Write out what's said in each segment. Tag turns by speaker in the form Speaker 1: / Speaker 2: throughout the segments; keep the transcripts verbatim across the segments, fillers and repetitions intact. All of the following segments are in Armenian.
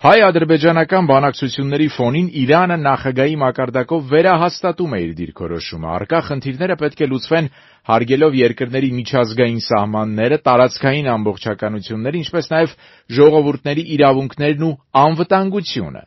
Speaker 1: Հայ-ադրբեջանական բանակցությունների ֆոնին Իրանը նախագահի մակարդակով վերահաստատում է իր դիրքորոշումը։ Առկա խնդիրները պետք է լուծվեն հարգելով երկրների միջազգային սահմանները, տարածքային ամբողջականությունները, ինչպես նաև ժողովուրդների իրավունքներն ու անվտանգությունը։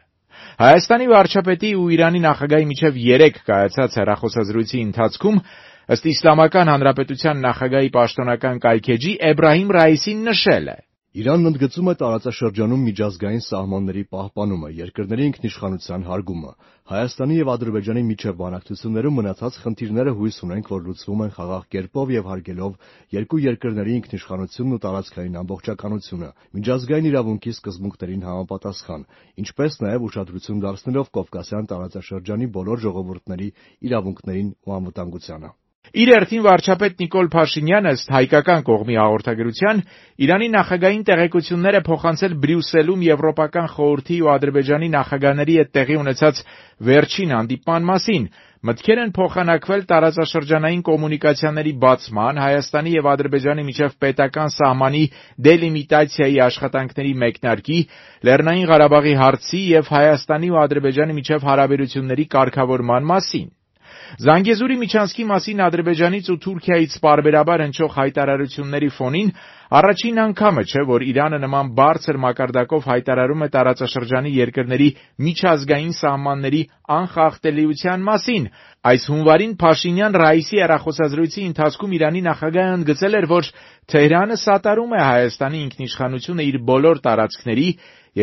Speaker 1: Հայաստանի վարչապետի ու Իրանի նախագահի միջև երեկ կայացած հեռախոսազրույցի ընթացքում ըստ Իսլամական Հանրապետության նախագահի պաշտոնական կայքէջի Էբրահիմ Ռայիսին նշել է.
Speaker 2: Իրանն ընդգծում է տարածաշրջանում միջազգային սահմանների պահպանումը, երկրների ինքնիշխանության հարգումը։ Հայաստանի եւ Ադրբեջանի միջև բանակցություններում մնացած խնդիրները հույս ունենք, որ լուծվում են խաղաղ կերպով եւ հարգելով երկու երկրների ինքնիշխանությունն ու տարածքային ամբողջականությունը, միջազգային իրավունքի սկզբունքներին համապատասխան, ինչպես նաեւ ուշադրություն դարձնելով Կովկասյան տարածաշրջանի բոլոր ժողովուրդների իրավունքներին ու անվտանգությանը։
Speaker 1: Իր հերթին վարչապետ Նիկոլ Փաշինյանը ըստ հայկական կողմի հաղորդագրության Իրանի նախագահին տեղեկություններ է փոխանցել Բրյուսելում Եվրոպական խորհրդի ու Ադրբեջանի նախագահների հետ տեղի ունեցած վերջին հանդիպման մասին։ Մտքեր են փոխանակվել տարածաշրջանային կոմունիկացիաների բացման, Հայաստանի եւ Ադրբեջանի միջև պետական սահմանի դելիմիտացիայի աշխատանքների մեկնարկի, Լեռնային Ղարաբաղի հարցի եւ Հայաստանի ու Ադրբեջանի միջև հարաբերությունների կարգավորման մասին։ Զանգեզուրի միջանցքի մասին Ադրբեջանից ու Թուրքիայից պարբերաբար հնչող հայտարարությունների ֆոնին առաջին անգամը չէ, որ Իրանը նման բարձր մակարդակով հայտարարում է տարածաշրջանի երկրների միջազգային սահմանների անխախտելիության մասին։ Այս հունվարին Փաշինյան-Ռայիսի հեռախոսազրույցի ընթացքում Իրանի նախագահը ընդգծել էր, որ Թեհրանը սատարում է Հայաստանի ինքնիշխանությունը իր բոլոր տարածքների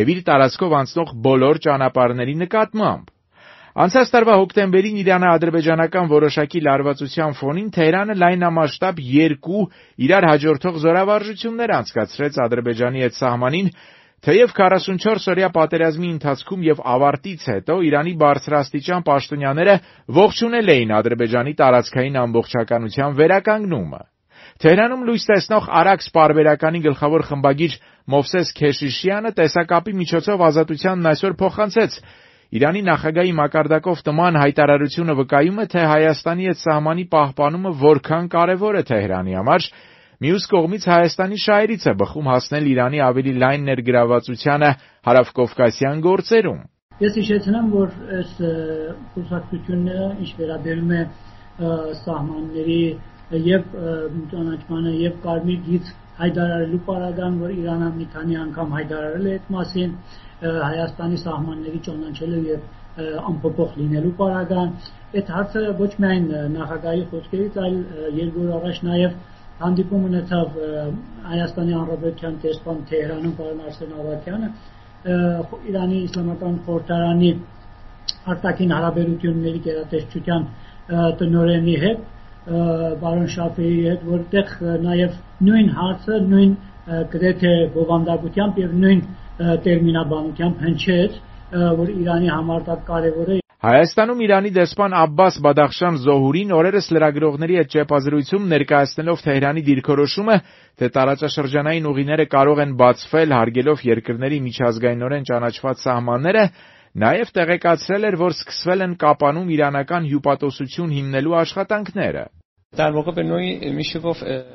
Speaker 1: եւ իր տարածքով անցնող բոլոր ճանապարհների նկատմամբ։ Անցած տարվա հոկտեմբերին Իրано-ադրբեջանական որոշակի լարվածության ֆոնին Թեհրանը լայնամասշտաբ երկու իրար հաջորդող զորավարժություններ անցկացրեց Ադրբեջանի հետ սահմանին, թեև քառասունչորս օրյա պատերազմի ընթացքում եւ ավարտից հետո Իրանի բարձրաստիճան պաշտոնյաները ողջունել էին Ադրբեջանի տարածքային ամբողջականության վերականգնումը։ Թեհրանում լույս տեսնող Արաքս պարբերականի գլխավոր խմբագիր Մովսես Քեշիշյանը տեսակապի միջոցով Ազատությանն այսօր փոխանցեց. Իրանի նախագահի մակարդակով տման հայտարարությունը վկայում է, թե Հայաստանի հետ սահմանի պահպանումը որքան կարևոր է Թեհրանի համար, մյուս կողմից Հայաստանի շահերից է բխում հասնել Իրանի ավելի լայն ներգրավվածությանը հարավկովկասյան գործերում։
Speaker 3: Ես հիշեցնեմ, որ այս խոսակցությունները, ինչ վերաբերում է սահմանների եւ ճանաչմանը եւ Կարմիր գիծ հայտարարելու պարագան, որ Իրանը մի քանի անգամ հայտարարել է այդ մասին, Հայաստանի սահմանների ճանաչելը եւ անփոփոխ լինելու պարագան, այդ հարցը ոչ միայն նախագահի խոսքերից, այլ երկու օր առաջ նաեւ հանդիպում ունեցավ Հայաստանի Հանրապետության դեսպան Թեհրանում պարոն Արսեն Ավագյանը, Իրանի Իսլամական խորհրդարանի արտաքին հարաբերությունների գերատեսչության տնօրենի հետ, պարոն Շաֆեի հետ, որտեղ նաեւ նույն հարցը, նույն գրեթե բովանդակությամբ եւ նույն տերմինաբանությամբ հնչեց, որ Իրանի համար դա կարևոր է։
Speaker 1: Հայաստանում Իրանի դեսպան Աբբաս Բադախշան Զոհուրին օրերս լրագրողների հետ ճեպազրույցում ներկայացնելով Թեհրանի դիրքորոշումը, թե տարածաշրջանային ուղիները կարող են բացվել հարգելով երկրների միջազգայինորեն ճանաչված սահմանները, նաև տեղեկացրել էր, որ սկսվել են Կապանում իրանական հյուպատոսություն հիմնելու աշխատանքները։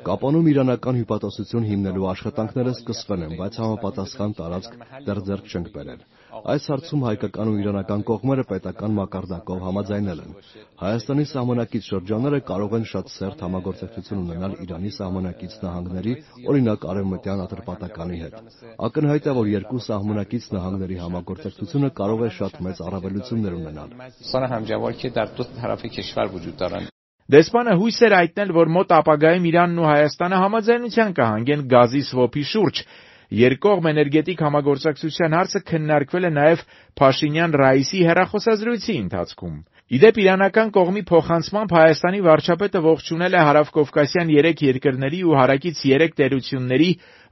Speaker 2: Կապանում իրանական հյուպատոսություն հիմնելու աշխատանքները սկսվել են, բայց համապատասխան տարածք դեռ ձեռք չենք բերել։ Այս հարցում հայկական ու իրանական կողմերը պետական մակարդակով համաձայնել են։ Հայաստանի սահմանակից շրջանները կարող են շատ սերտ համագործակցություն ունենալ Իրանի սահմանակից նահանգների, օրինակ Արևմտյան Ատրպատականի հետ։ Ակնհայտ է, որ երկու սահմանակից նահանգների համագործակցությունը կարող է շատ մեծ առավելություններ ունենալ։
Speaker 1: Դեսպանը հույս էր հայտնել, որ մոտ ապագայում Իրանն ու Հայաստանը համաձայնության կհանգեն գազի սվոփի շուրջ։ Երկկողմ էներգետիկ համագործակցության հարցը քննարկվել է նաև Փաշինյան-Ռայիսի հեռախոսազրույցի ընթացքում։ Իդեպ իրանական կողմի փոխանցմամբ Հայաստանի վարչապետը ողջունել է հարավկովկասյան երեք երկրների ու հարակից երեք տերությունների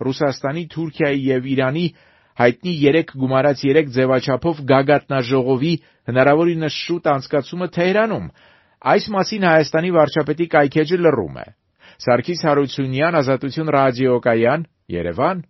Speaker 1: Ռուսաստանի, Թուրքիայի եւ Իրանի հայտնի երեք գումարած երեք ձևաչափով գագաթնաժողովի հնարավորինս շուտ անցկացումը Թեհրանում։ Այս մասին Հայաստանի վարչապետի կայքէջը լռում է։ Սարգիս Հարությունյան, Ազատություն ռադիոկայան, Երևան։